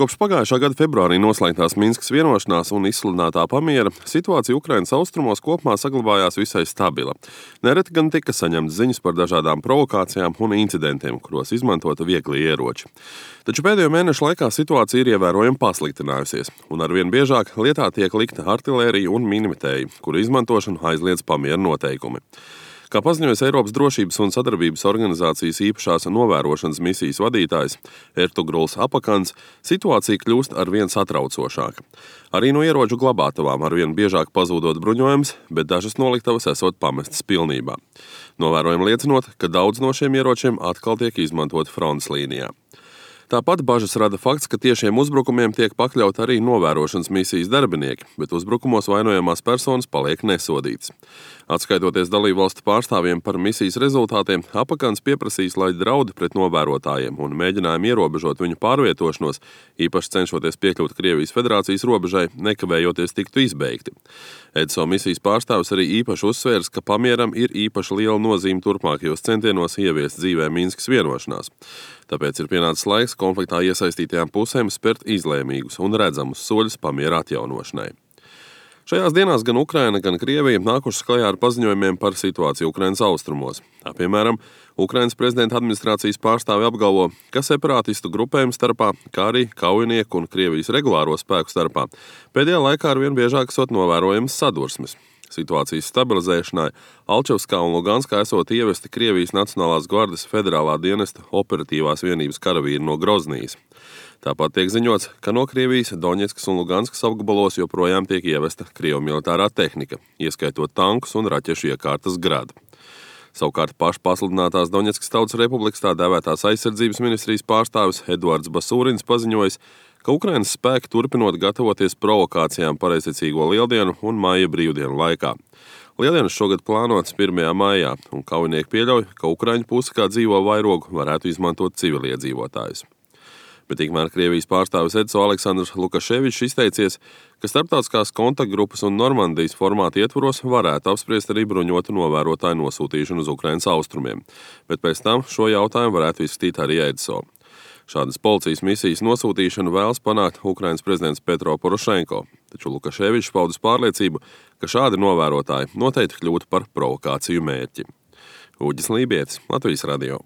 Kopš pagājušā gada februārī noslēgtās Minskas vienošanās un izsludinātā pamiera situācija Ukrainas austrumos kopumā saglabājās visai stabila. Nereti gan tika saņemtas ziņas par dažādām provokācijām un incidentiem, kuros izmantota viegli ieroči. Taču pēdējo mēnešu laikā situācija ir ievērojami pasliktinājusies, un arvien biežāk lietā tiek likta artilērija un minimetēji, kuru izmantošanu aizliedz pamiera noteikumi. Kā paziņojas Eiropas drošības un sadarbības organizācijas īpašās novērošanas misijas vadītājs Ertugruls Apakans, situācija kļūst arvien satraucošāka. Arī no ieroču glabātavām arvien biežāk pazūdot bruņojums, bet dažas noliktavas esot pamestas pilnībā. Novērojumi liecinot, ka daudz no šiem ieročiem atkal tiek izmantot frontes līnijā. Tāpat bažas rada fakts, ka tiešiem uzbrukumiem tiek pakļaut arī novērošanas misijas darbinieki, bet uzbrukumos vainojamās personas paliek nesodītas. Atskaitoties dalībvalstu pārstāvjiem par misijas rezultātiem, Apakans pieprasīs, lai draudi pret novērotājiem un mēģinājumi ierobežot viņu pārvietošanos, īpaši cenšoties piekļūt Krievijas Federācijas robežai, nekavējoties tiktu izbeigti. EDSO misijas pārstāvis arī īpaši uzsvērs, ka pamieram ir īpaši liela nozīme turpmākajos centienos ieviest dzīvē Minskas vienošanās. Tāpēc ir pienācis laiks konfliktā iesaistītajām pusēm spērt izlēmīgus un redzamus soļus pamiera atjaunošanai. Šajās dienās gan Ukraina, gan Krievija nākušas klajā ar paziņojumiem par situāciju Ukrainas austrumos. Piemēram, Ukrainas prezidenta administrācijas pārstāvi apgalvo, ka separātistu grupējumu starpā, kā arī kaujinieku un Krievijas regulāro spēku starpā pēdējā laikā arvien biežāk esot novērojamas sadursmes. Situācijas stabilizēšanai Alčevskā un Luganskā esot ievesti Krievijas Nacionālās gvardes federālā dienesta operatīvās vienības karavīri no Groznijas. Tāpat tiek ziņots, ka no Krievijas Doņetskas un Luganskas apgabalos joprojām tiek ievesta Krievu militārā tehnika, ieskaitot tankus un raķešu iekārtas Grad. Savukārt pašpasludinātās Doņetskas Tautas Republikas tā dēvētās aizsardzības ministrijas pārstāvis Eduards Basūrins paziņojis, ka Ukrainas spēki turpinot gatavoties provokācijām pareizticīgo lieldienu un maija brīvdienu laikā. Lieldienas šogad plānotas 1. maijā, un kaujinieki pieļauj, ka Ukraiņu puse kā dzīvo vairogu varētu izmantot civiliedzīvotājus. Bet tikmēr Krievijas pārstāvis EDSO Aleksandrs Lukaševičs izteicies, ka starptautiskās kontaktgrupas un Normandijas formāta ietvaros varētu apspriest arī bruņotu novērotāju nosūtīšanu uz Ukrainas austrumiem, bet pēc tam šo jautājumu varētu izskatīt arī EDSO. Šādas policijas misijas nosūtīšanu vēlas panākt Ukrainas prezidents Petro Porošenko, taču Lukaševičs paudis pārliecību, ka šādi novērotāji noteikti kļūtu par provokāciju mērķi. Uģis Lībietis, Latvijas radio.